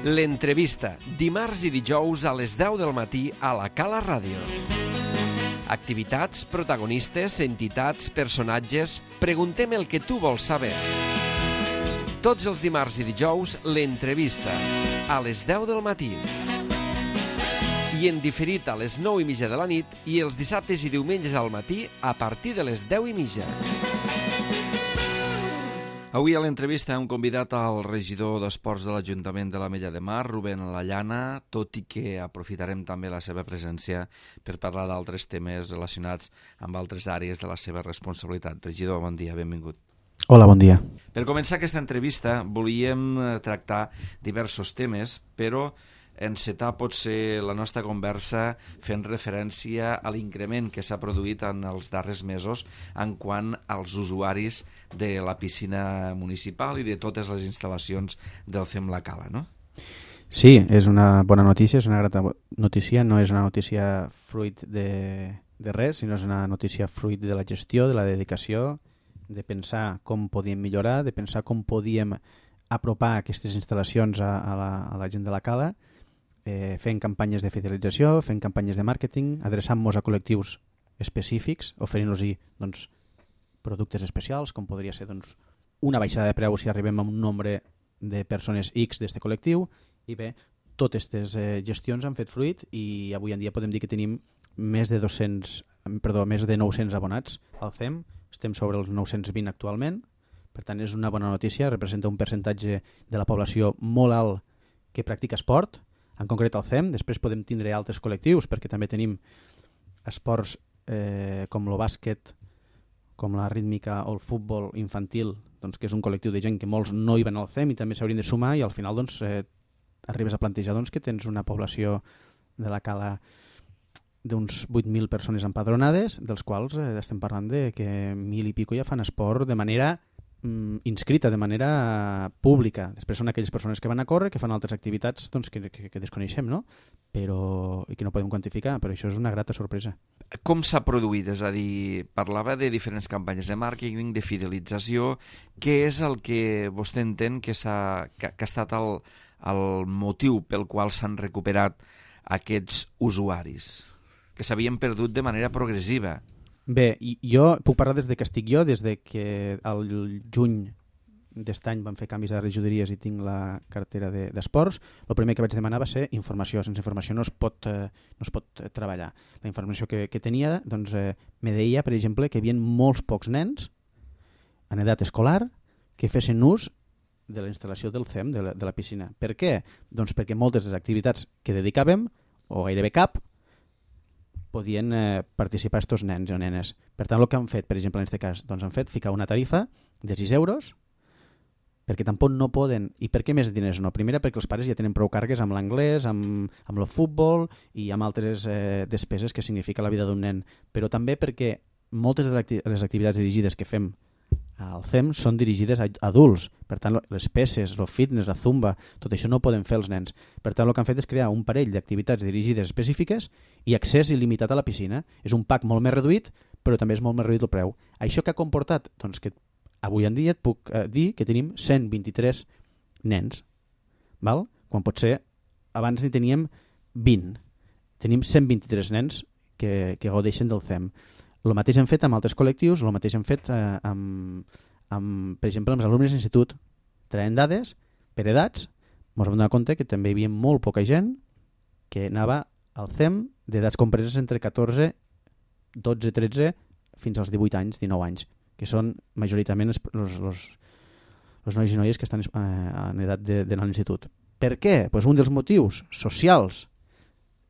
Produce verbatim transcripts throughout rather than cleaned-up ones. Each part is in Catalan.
L'entrevista, dimarts i dijous a les deu del matí a la Cala Ràdio. Activitats, protagonistes, entitats, personatges... Preguntem el que tu vols saber. Tots els dimarts i dijous, l'entrevista, a les deu del matí. I en diferit a les nou i mitja de la nit i els dissabtes i diumenges al matí a partir de les deu i mitja. Avui a l'entrevista hem convidat al regidor d'Esports de l'Ajuntament de l'Ametlla de Mar, Rubén Lallana, tot i que aprofitarem també la seva presència per parlar d'altres temes relacionats amb altres àrees de la seva responsabilitat. Regidor, bon dia, benvingut. Hola, bon dia. Per començar aquesta entrevista volíem tractar diversos temes, però encetar potser la nostra conversa fent referència a l'increment que s'ha produït en els darrers mesos en quant als usuaris de la piscina municipal i de totes les instal·lacions del C E M La Cala, no? Sí, és una bona notícia, és una grata notícia, no és una notícia fruit de, de res, sinó és una notícia fruit de la gestió, de la dedicació, de pensar com podíem millorar, de pensar com podíem apropar aquestes instal·lacions a, a, la, a la gent de la Cala, Eh, fent campanyes de fidelització, fent campanyes de màrqueting, adreçant-nos a col·lectius específics, oferint-los doncs, productes especials, com podria ser doncs, una baixada de preu si arribem a un nombre de persones X d'aquest col·lectiu, i bé, totes aquestes eh, gestions han fet fruit i avui en dia podem dir que tenim més de dos-cents, perdó, més de nou-cents abonats al C E M, estem sobre els nou-cents vint actualment, per tant és una bona notícia, representa un percentatge de la població molt alt que practica esport, en concret al C E M, després podem tindre altres col·lectius perquè també tenim esports eh, com el bàsquet, com la rítmica o el futbol infantil, doncs, que és un col·lectiu de gent que molts no hi van al C E M i també s'haurien de sumar i al final doncs, eh, arribes a plantejar doncs, que tens una població de la Cala d'uns vuit mil persones empadronades, dels quals eh, estem parlant de que mil i pico ja fan esport de manera inscrita de manera pública. Després són aquelles persones que van a córrer, que fan altres activitats doncs, que, que, que desconeixem, no? Però, i que no podem quantificar, però això és una grata sorpresa. Com s'ha produït? És a dir, parlava de diferents campanyes de màrqueting, de fidelització. Què és el que vostè entén que, s'ha, que, que ha estat el, el motiu pel qual s'han recuperat aquests usuaris que s'havien perdut de manera progressiva? Bé, jo puc parlar des de que estic jo, des de que al juny d'aquest any vam fer canvis a regidories i tinc la cartera d'esports. De, el primer que vaig demanar va ser informació. Sense informació no es pot, eh, no es pot treballar. La informació que, que tenia doncs, eh, me deia, per exemple, que hi havia molts pocs nens en edat escolar que fessin ús de la instal·lació del C E M, de la, de la piscina. Per què? Doncs perquè moltes de les activitats que dedicàvem, o gairebé cap, podien eh, participar estos nens o nenes. Per tant, el que han fet, per exemple, en aquest cas, doncs han fet ficar una tarifa de sis euros perquè tampoc no poden. I per què més diners no? Primera, perquè els pares ja tenen prou càrregues amb l'anglès, amb, amb el futbol i amb altres eh, despeses que significa la vida d'un nen. Però també perquè moltes de les activitats dirigides que fem al C E M són dirigides a adults. Per tant, les peces, el fitness, la zumba, tot això no ho poden fer els nens. Per tant, el que han fet és crear un parell d'activitats dirigides específiques i accés il·limitat a la piscina. És un pack molt més reduït, però també és molt més reduït el preu. Això que ha comportat? Doncs que avui en dia et puc eh, dir que tenim cent vint-i-tres nens. Val? Quan potser abans n'hi teníem vint. Tenim cent vint-i-tres nens que, que gaudeixen del C E M. El mateix hem fet amb altres col·lectius, el mateix hem fet eh, amb, amb, per exemple, amb els alumnes d'institut. Traient dades per edats, ens vam donar compte que també hi havia molt poca gent que anava al C E M d'edats compreses entre catorze, dotze, tretze fins als divuit anys, dinou anys, que són majoritàriament els, els, els, els nois i noies que estan eh, en edat d'anar a l'institut. Per què? Pues un dels motius socials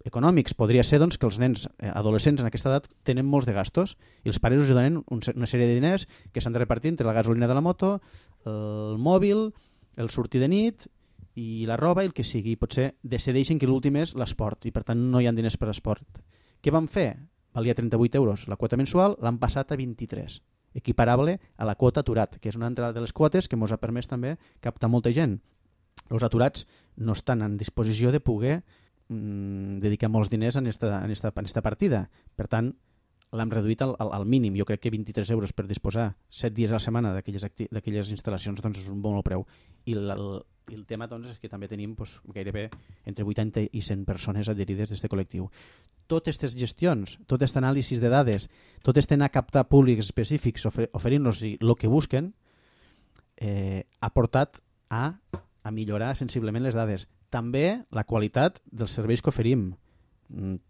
econòmics podria ser doncs, que els nens adolescents en aquesta edat tenen molts de gastos i els pares us donen un, una sèrie de diners que s'han de repartir entre la gasolina de la moto, el mòbil, el sortir de nit i la roba i el que sigui. Potser decideixen que l'últim és l'esport i per tant no hi ha diners per a esport. Què van fer? Valia trenta-vuit euros la quota mensual, l'han passat a vint-i-tres, equiparable a la quota aturat, que és una altra de les quotes que ens ha permès també captar molta gent. Els aturats no estan en disposició de poder dedicar molts diners en esta, en esta, en esta partida. Per tant, l'hem reduït al, al, al mínim. Jo crec que vint-i-tres euros per disposar set dies a la setmana d'aquelles instal·lacions doncs és un bon preu. I la, I el tema doncs, és que també tenim doncs, gairebé entre vuitanta i cent persones adherides d'aquest col·lectiu. Totes aquestes gestions, tot aquest anàlisi de dades, tot aquest anar a captar públics específics ofer oferint-los el que busquen, eh, ha portat a, a millorar sensiblement les dades. També la qualitat dels serveis que oferim.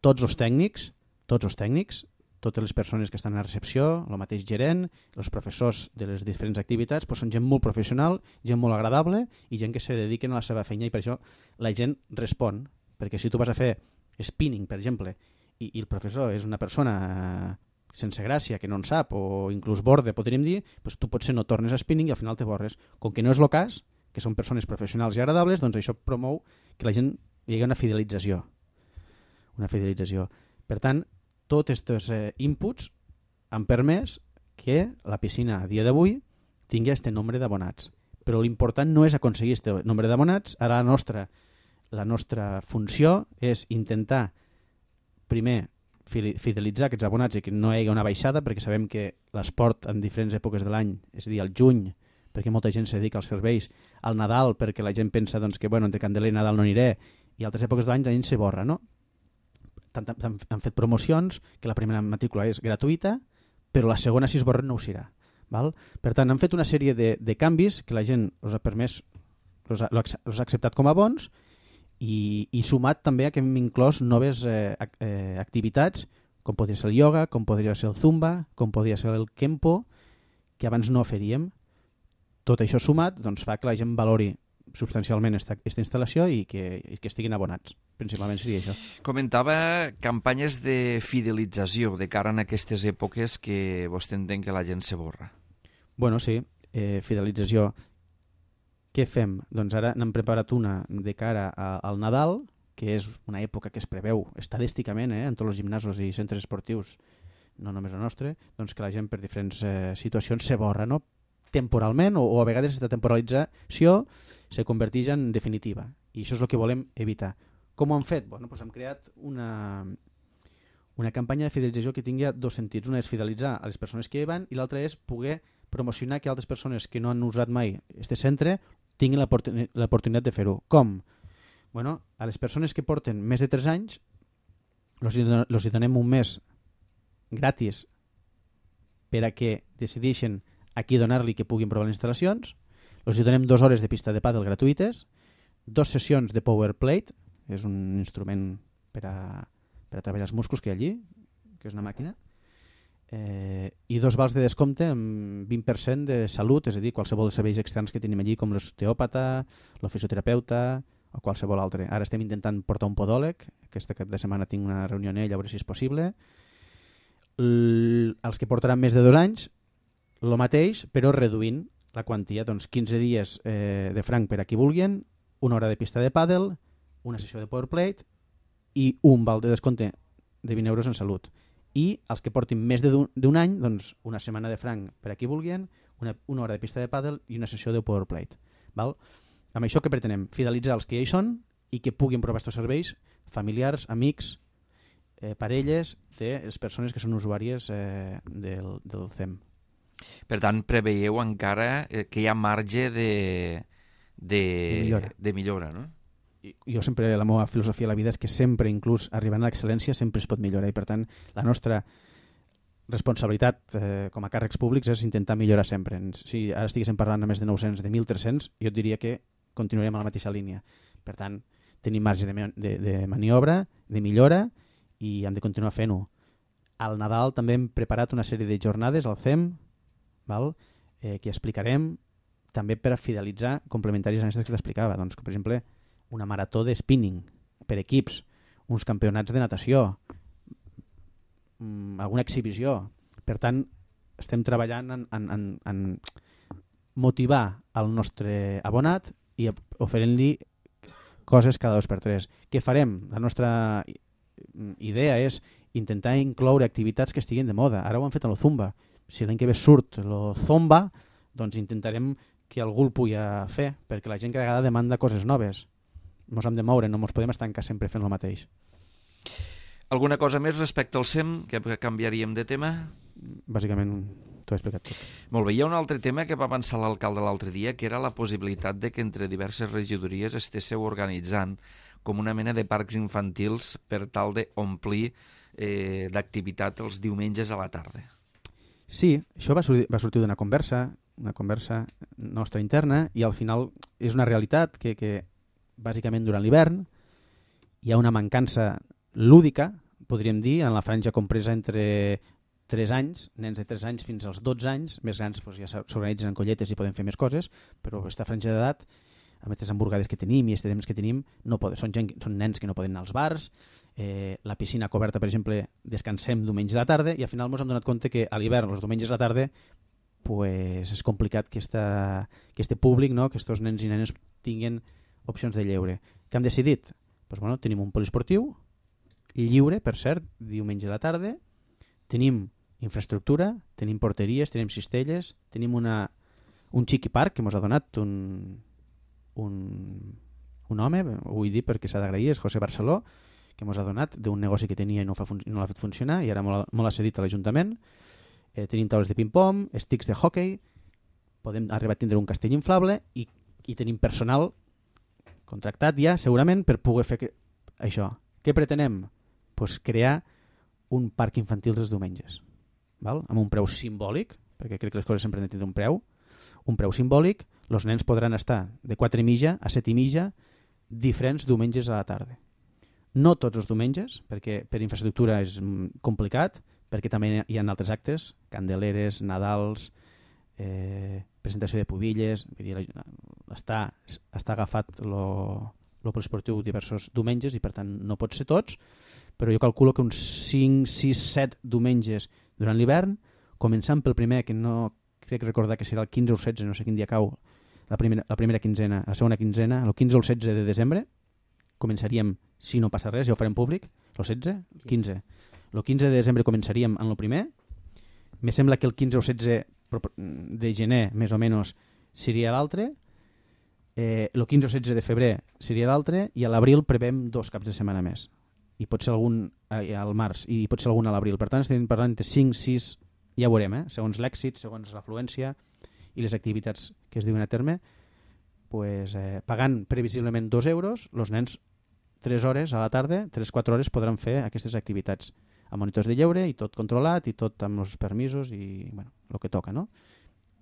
Tots els tècnics, tots els tècnics, totes les persones que estan a recepció, el mateix gerent, els professors de les diferents activitats, doncs són gent molt professional, gent molt agradable i gent que se dediquen a la seva feina, i per això la gent respon. Perquè si tu vas a fer spinning, per exemple, i, i el professor és una persona sense gràcia, que no en sap, o inclús borde, podríem dir, doncs tu potser no tornes a spinning i al final te borres. Com que no és el cas, que són persones professionals i agradables, doncs això promou que la gent hi hagi una fidelització. Una fidelització. Per tant, tots aquests eh, inputs han permès que la piscina a dia d'avui tingui aquest nombre d'abonats. Però l'important no és aconseguir aquest nombre d'abonats. Ara la nostra, la nostra funció és intentar primer fidelitzar aquests abonats i que no hi hagi una baixada, perquè sabem que l'esport en diferents èpoques de l'any, és a dir, al juny, perquè molta gent se dedica als serveis, al Nadal, perquè la gent pensa doncs, que bueno, entre Candeler i Nadal no aniré, i altres èpoques de l'any la gent se borra, no? Han fet promocions que la primera matrícula és gratuïta, però la segona, si es borren, no ho serà. Val? Per tant, han fet una sèrie de, de canvis que la gent els ha permès, els ha, els ha acceptat com a bons, i, i sumat també a que hem inclòs noves eh, eh, activitats, com podria ser el ioga, com podria ser el zumba, com podria ser el kempo, que abans no oferíem. Tot això sumat doncs, fa que la gent valori substancialment esta, esta instal·lació i que, i que estiguin abonats. Principalment seria això. Comentava campanyes de fidelització de cara a aquestes èpoques que vostè entén que la gent se borra. Bueno, sí, eh, fidelització. Què fem? Doncs ara n'hem preparat una de cara a, al Nadal, que és una època que es preveu estadísticament eh, en tots els gimnasos i centres esportius, no només el nostre, doncs que la gent per diferents eh, situacions se borra, no? Temporalment, o, o a vegades aquesta temporalització se converteix en definitiva. I això és el que volem evitar. Com ho hem fet? Bueno, doncs hem creat una, una campanya de fidelització que tingui dos sentits. Una és fidelitzar a les persones que hi van i l'altra és poder promocionar que altres persones que no han usat mai aquest centre tinguin l'oportunitat de fer-ho. Com? Bueno, a les persones que porten més de tres anys els hi donem un mes gratis per a que decideixen a qui donar-li que puguin provar les instal·lacions. Els hi donem dues hores de pista de pàdel gratuïtes, dues sessions de power plate, que és un instrument per a, per a treballar els músculs que hi ha allí, que és una màquina, eh, i dos vals de descompte amb vint per cent de salut, és a dir, qualsevol dels serveis externs que tenim allí, com l'osteòpata, el fisioterapeuta o qualsevol altre. Ara estem intentant portar un podòleg, aquesta cap de setmana tinc una reunió amb ell, a veure si és possible. L els que portaran més de dos anys, el mateix, però reduint la quantia, doncs quinze dies eh, de franc per a qui vulguin, una hora de pista de pàdel, una sessió de powerplate i un val de descompte de vint euros en salut. I els que portin més d'un any, doncs una setmana de franc per a qui vulguin, una, una hora de pista de pàdel i una sessió de powerplate. Val? Amb això que pretenem? Fidelitzar els que ja hi són i que puguin provar aquests serveis, familiars, amics, eh, parelles de les persones que són usuàries eh, del, del C E M. Per tant, preveieu encara que hi ha marge de, de, millora. de millora, no? I, jo sempre, la meva filosofia de la vida és que sempre, inclús arribant a l'excel·lència, sempre es pot millorar i per tant la nostra responsabilitat eh, com a càrrecs públics és intentar millorar sempre. Si ara estiguéssim parlant de més de nou-cents, de mil tres-cents, jo et diria que continuarem a la mateixa línia. Per tant, tenim marge de, de, de maniobra, de millora i hem de continuar fent-ho. Al Nadal també hem preparat una sèrie de jornades al C E M, val? Eh, que explicarem també per a fidelitzar complementaris a aquestes que t'explicava, doncs, com per exemple una marató de spinning per equips, uns campionats de natació, mmm, alguna exhibició. Per tant, estem treballant en, en, en, en motivar el nostre abonat i oferint-li coses cada dos per tres. Què farem? La nostra idea és intentar incloure activitats que estiguin de moda. Ara ho han fet amb el Zumba. Si l'any que ve surt el Zumba, doncs intentarem que algú el pugui fer, perquè la gent cada vegada demanda coses noves. Ens hem de moure, no ens podem estancar sempre fent el mateix. Alguna cosa més respecte al C E M que canviaríem de tema? Bàsicament t'ho he explicat tot. Molt bé, hi ha un altre tema que va avançar l'alcalde l'altre dia, que era la possibilitat de que entre diverses regidories estéssiu organitzant com una mena de parcs infantils per tal d'omplir eh, d'activitat els diumenges a la tarda. Sí, això va sortir, va sortir d'una conversa, una conversa nostra interna, i al final és una realitat que, que bàsicament durant l'hivern hi ha una mancança lúdica, podríem dir, en la franja compresa entre tres anys, nens de tres anys fins als dotze anys, més grans doncs ja s'organitzen en colletes i poden fer més coses, però aquesta franja d'edat, amb aquestes hamburgades que tenim i aquests temps que tenim, no poden, són, gent, són nens que no poden anar als bars, eh, la piscina coberta, per exemple, descansem diumenge a la tarda, i al final ens hem donat compte que a l'hivern, els diumenges a la tarda, pues, és complicat que aquest públic, no? que aquests nens i nenes tinguin opcions de lleure. Què hem decidit? Pues, bueno, tenim un poliesportiu lliure, per cert, diumenge a la tarda, tenim infraestructura, tenim porteries, tenim cistelles, tenim una, un xiqui parc que ens ha donat un, un, un home, ho vull dir perquè s'ha d'agrair, és José Barceló, que ens ha donat d'un negoci que tenia i no, fa no l'ha fet funcionar i ara molt ha cedit a l'Ajuntament. Eh, tenim taules de ping-pong, sticks de hockey, podem arribar a tindre un castell inflable i, i tenim personal contractat ja segurament per poder fer que, això. Què pretenem? Pues crear un parc infantil dels diumenges, val? Amb un preu simbòlic, perquè crec que les coses sempre han de tenir un preu, un preu simbòlic, els nens podran estar de quatre i mitja a set i mitja diferents diumenges a la tarda. No tots els diumenges, perquè per infraestructura és complicat, perquè també hi ha altres actes, candeleres, Nadals, eh, presentació de pubilles, vull dir, està, està agafat lo, lo poliesportiu diversos diumenges i per tant no pot ser tots, però jo calculo que uns cinc, sis, set diumenges durant l'hivern, començant pel primer, que no crec recordar que serà el quinze o setze, no sé quin dia cau, la primera, la primera quinzena, la segona quinzena, el quinze o el setze de desembre, començaríem, si no passa res, ja ho farem públic, el setze? El quinze. El quinze de desembre començaríem en el primer, me sembla que el quinze o setze de gener, més o menys, seria l'altre, eh, el quinze o setze de febrer seria l'altre, i a l'abril prevem dos caps de setmana més. I pot ser algun eh, al març, i pot ser algun a l'abril. Per tant, estem parlant de cinc, sis, ja ho veurem, eh? Segons l'èxit, segons l'afluència i les activitats que es diuen a terme, pues, eh, pagant previsiblement dos euros, els nens tres hores a la tarda, tres quatre hores podran fer aquestes activitats amb monitors de lleure i tot controlat i tot amb els permisos i bueno, el que toca, no?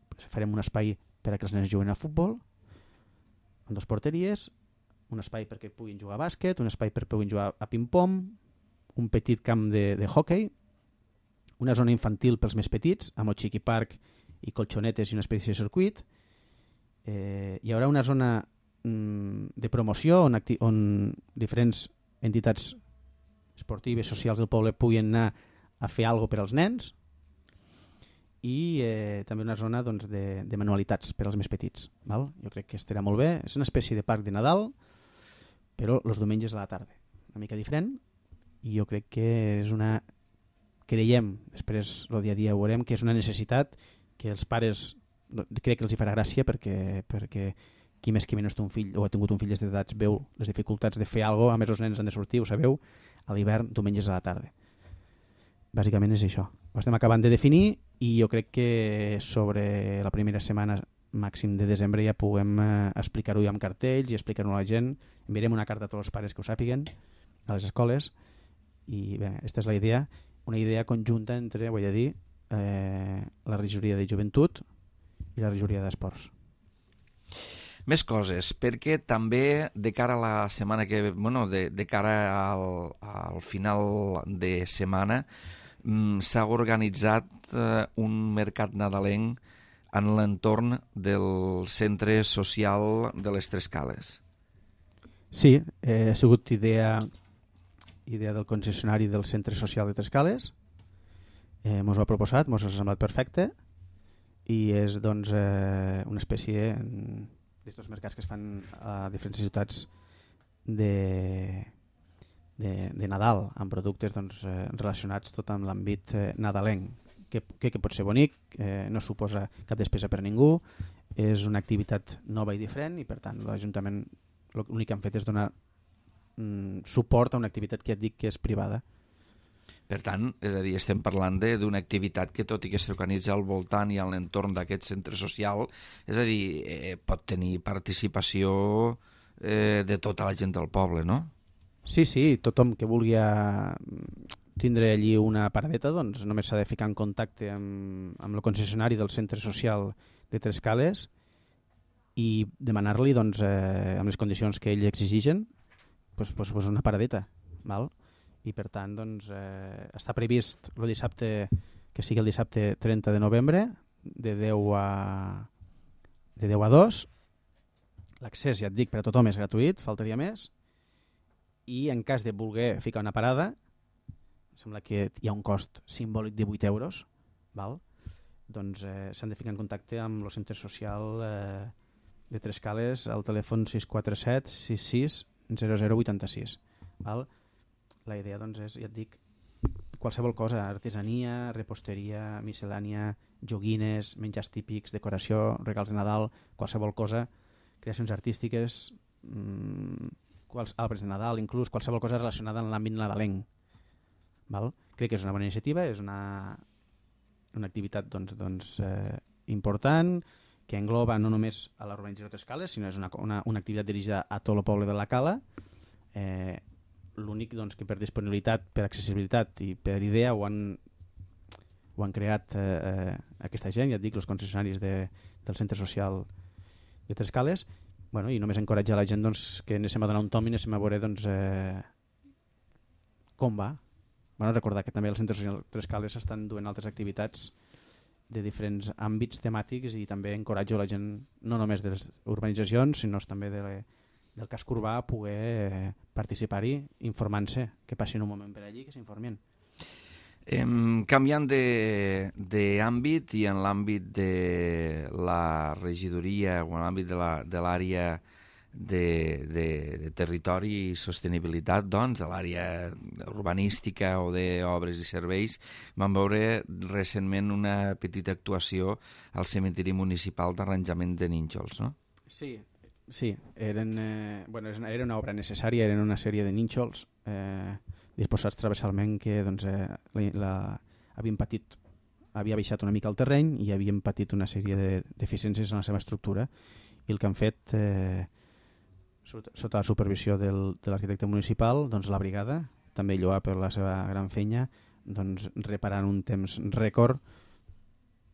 Pues farem un espai per a que els nens juguen a futbol, amb dues porteries, un espai perquè puguin jugar a bàsquet, un espai perquè puguin jugar a ping-pong, un petit camp de, de hockey, una zona infantil pels més petits, amb el xiqui parc i colxonetes i una espècie de circuit. Eh, hi haurà una zona mm, de promoció on, on diferents entitats esportives, socials del poble puguin anar a fer alguna cosa per als nens i eh, també una zona doncs, de, de manualitats per als més petits. Val? Jo crec que estarà molt bé. És una espècie de parc de Nadal, però els diumenges a la tarda. Una mica diferent i jo crec que és una... creiem, després el dia a dia ho veurem, que és una necessitat que els pares crec que els hi farà gràcia perquè, perquè qui més qui menys té un fill o ha tingut un fill des d'edats veu les dificultats de fer alguna cosa, a més els nens han de sortir, ho sabeu, a l'hivern, diumenges a la tarda. Bàsicament és això. Ho estem acabant de definir i jo crec que sobre la primera setmana màxim de desembre ja puguem eh, explicar-ho amb cartells i explicar-ho a la gent. Enviarem una carta a tots els pares que ho sàpiguen, a les escoles, i bé, aquesta és la idea, una idea conjunta entre, vull dir, eh, la regidoria de joventut i la regidoria d'esports. Més coses, perquè també de cara a la setmana que... Bueno, de, de cara al, al final de setmana mm, s'ha organitzat eh, un mercat nadalenc en l'entorn del centre social de les Tres Cales. Sí, eh, ha sigut idea... idea del concessionari del centre social de Tres Cales, eh, mos ho ha proposat, mos ha semblat perfecte i és doncs eh, una espècie d'aquests mercats que es fan a diferents ciutats de, de, de Nadal amb productes doncs, eh, relacionats tot amb l'àmbit eh, nadalenc que, que, que pot ser bonic, eh, no suposa cap despesa per ningú, és una activitat nova i diferent i per tant l'Ajuntament l'únic que han fet és donar suport a una activitat que et dic que és privada. Per tant, és a dir, estem parlant d'una activitat que, tot i que s'organitza al voltant i a l'entorn d'aquest centre social, és a dir, eh, pot tenir participació eh, de tota la gent del poble, no? Sí, sí, tothom que vulgui tindre allí una paradeta, doncs només s'ha de ficar en contacte amb, amb el concessionari del centre social de Trescales i demanar-li, doncs, eh, amb les condicions que ell exigeixen, pues, pues, pues una paradeta, val? I per tant, doncs, eh, està previst el dissabte, que sigui el dissabte trenta de novembre, de deu a, de deu a dos. L'accés, ja et dic, per a tothom és gratuït, faltaria més. I en cas de voler ficar una parada, sembla que hi ha un cost simbòlic de vuit euros, val? Doncs eh, s'han de ficar en contacte amb el centre social eh, de Trescales al telèfon sis quatre set sis sis zero zero vuit sis. Val? La idea, doncs, és, ja et dic, qualsevol cosa, artesania, reposteria, miscel·lània, joguines, menjars típics, decoració, regals de Nadal, qualsevol cosa, creacions artístiques, mmm, quals, arbres de Nadal, inclús qualsevol cosa relacionada amb l'àmbit nadalenc. Val? Crec que és una bona iniciativa, és una, una activitat doncs, doncs, eh, important, que engloba no només a l'urbanització Trescales, sinó és una, una, una activitat dirigida a tot el poble de la Cala. Eh, L'únic doncs, que per disponibilitat, per accessibilitat i per idea ho han, ho han creat eh, eh, aquesta gent, ja et dic, els concessionaris de, del centre social de Trescales. Bueno, i només encoratjar la gent doncs, que anem a donar un tom i anem a veure doncs, eh, com va. Bueno, recordar que també el centre social Trescales estan duent altres activitats de diferents àmbits temàtics i també encoratjo la gent, no només de les urbanitzacions, sinó també de, del casc urbà, a poder eh, participar-hi informant-se, que passin un moment per allí, que s'informin. Eh, canviant d'àmbit i en l'àmbit de la regidoria o en l'àmbit de l'àrea de, de, de territori i sostenibilitat, doncs, de l'àrea urbanística o d'obres i serveis, vam veure recentment una petita actuació al cementiri municipal d'arranjament de nínxols, no? Sí, sí, eren, eh, bueno, era una obra necessària, eren una sèrie de nínxols eh, disposats transversalment que doncs, eh, la, la, havien patit, havia baixat una mica el terreny i havien patit una sèrie de deficiències en la seva estructura, i el que han fet eh, sota, sota la supervisió del, de l'arquitecte municipal, doncs la brigada, també lloar per la seva gran feina, doncs reparant un temps rècord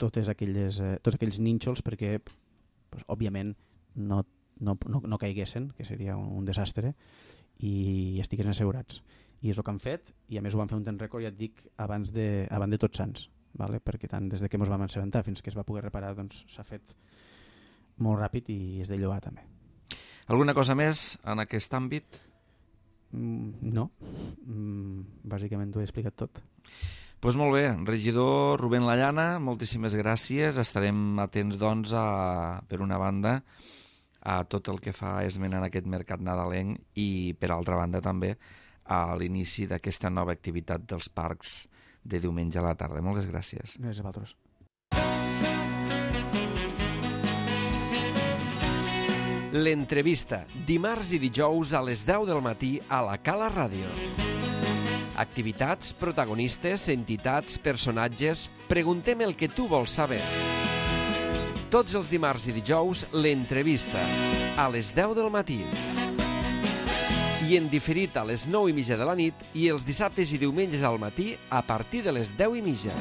totes aquelles, eh, tots aquells nínxols perquè, doncs, òbviament, no No, no, no caiguessin, que seria un, un desastre, i estiguessin assegurats. I és el que han fet, i a més ho van fer un temps rècord, ja et dic, abans de, abans de Tots Sants, vale? Perquè tant des de que ens vam assabentar fins que es va poder reparar, doncs s'ha fet molt ràpid i és de lloar també. Alguna cosa més en aquest àmbit? Mm, no, mm, bàsicament t'ho he explicat tot. Pues molt bé, regidor Rubén Lallana, moltíssimes gràcies. Estarem atents, doncs, a, per una banda, a tot el que fa esment en aquest mercat nadalenc i, per altra banda, també a l'inici d'aquesta nova activitat dels parcs de diumenge a la tarda. Moltes gràcies. Gràcies a vosaltres. L'entrevista, dimarts i dijous a les deu del matí a la Cala Ràdio. Activitats, protagonistes, entitats, personatges... Preguntem el que tu vols saber. Tots els dimarts i dijous, l'entrevista, a les deu del matí. I en diferit a les nou i mitja de la nit i els dissabtes i diumenges al matí a partir de les deu i mitja.